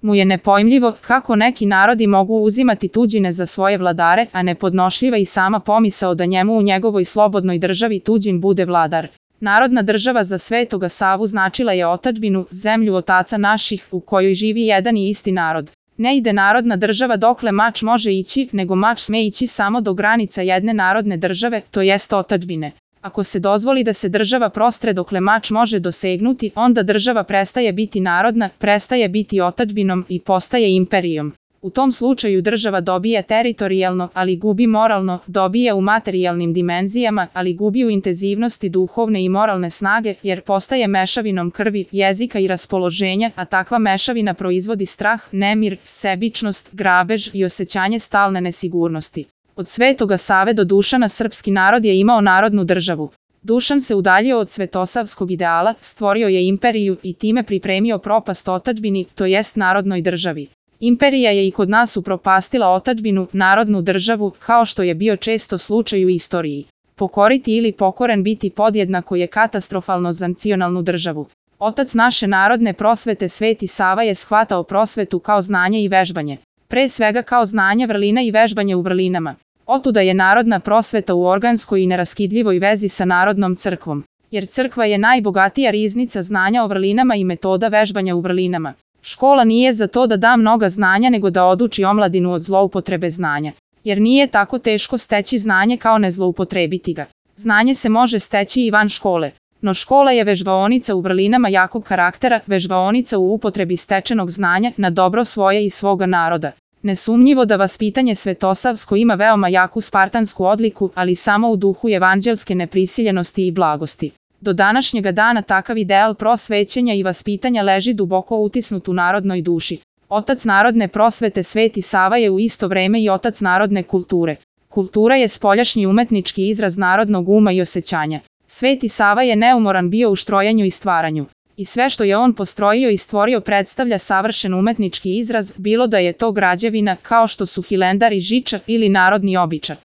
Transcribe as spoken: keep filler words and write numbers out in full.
mu je nepojmljivo kako neki narodi mogu uzimati tuđine za svoje vladare, a nepodnošljiva i sama pomisao da njemu u njegovoj slobodnoj državi tuđin bude vladar. Narodna država za Svetoga Savu značila je otadžbinu, zemlju otaca naših, u kojoj živi jedan i isti narod. Ne ide narodna država dokle mač može ići, nego mač sme ići samo do granica jedne narodne države, to jest otadžbine. Ako se dozvoli da se država prostre dokle mač može dosegnuti, onda država prestaje biti narodna, prestaje biti otadžbinom i postaje imperijom. U tom slučaju država dobije teritorijalno, ali gubi moralno, dobije u materijalnim dimenzijama, ali gubi u intenzivnosti duhovne i moralne snage, jer postaje mešavinom krvi, jezika i raspoloženja, a takva mešavina proizvodi strah, nemir, sebičnost, grabež i osjećanje stalne nesigurnosti. Od Svetoga Save do Dušana srpski narod je imao narodnu državu. Dušan se udaljio od svetosavskog ideala, stvorio je imperiju i time pripremio propast otadžbini, to jest narodnoj državi. Imperija je i kod nas upropastila otadžbinu, narodnu državu, kao što je bio često slučaj u istoriji. Pokoriti ili pokoren biti podjednako je katastrofalno za nacionalnu državu. Otac naše narodne prosvete Sveti Sava je shvatao prosvetu kao znanje i vežbanje. Pre svega kao znanje vrlina i vežbanje u vrlinama. Otuda je narodna prosveta u organskoj i neraskidljivoj vezi sa narodnom crkvom. Jer crkva je najbogatija riznica znanja o vrlinama i metoda vežbanja u vrlinama. Škola nije za to da da mnoga znanja nego da oduči omladinu od zloupotrebe znanja. Jer nije tako teško steći znanje kao ne zloupotrebiti ga. Znanje se može steći i van škole. No škola je vežbaonica u vrlinama jakog karaktera, vežbaonica u upotrebi stečenog znanja na dobro svoje i svoga naroda. Nesumnjivo da vaspitanje svetosavsko ima veoma jaku spartansku odliku, ali samo u duhu evanđelske neprisiljenosti i blagosti. Do današnjega dana takav ideal prosvećenja i vaspitanja leži duboko utisnut u narodnoj duši. Otac narodne prosvete Sveti Sava je u isto vreme i otac narodne kulture. Kultura je spoljašnji umetnički izraz narodnog uma i osjećanja. Sveti Sava je neumoran bio u štrojanju i stvaranju. I sve što je on postrojio i stvorio predstavlja savršen umetnički izraz, bilo da je to građevina kao što su Hilendar i Žiča ili narodni običaj.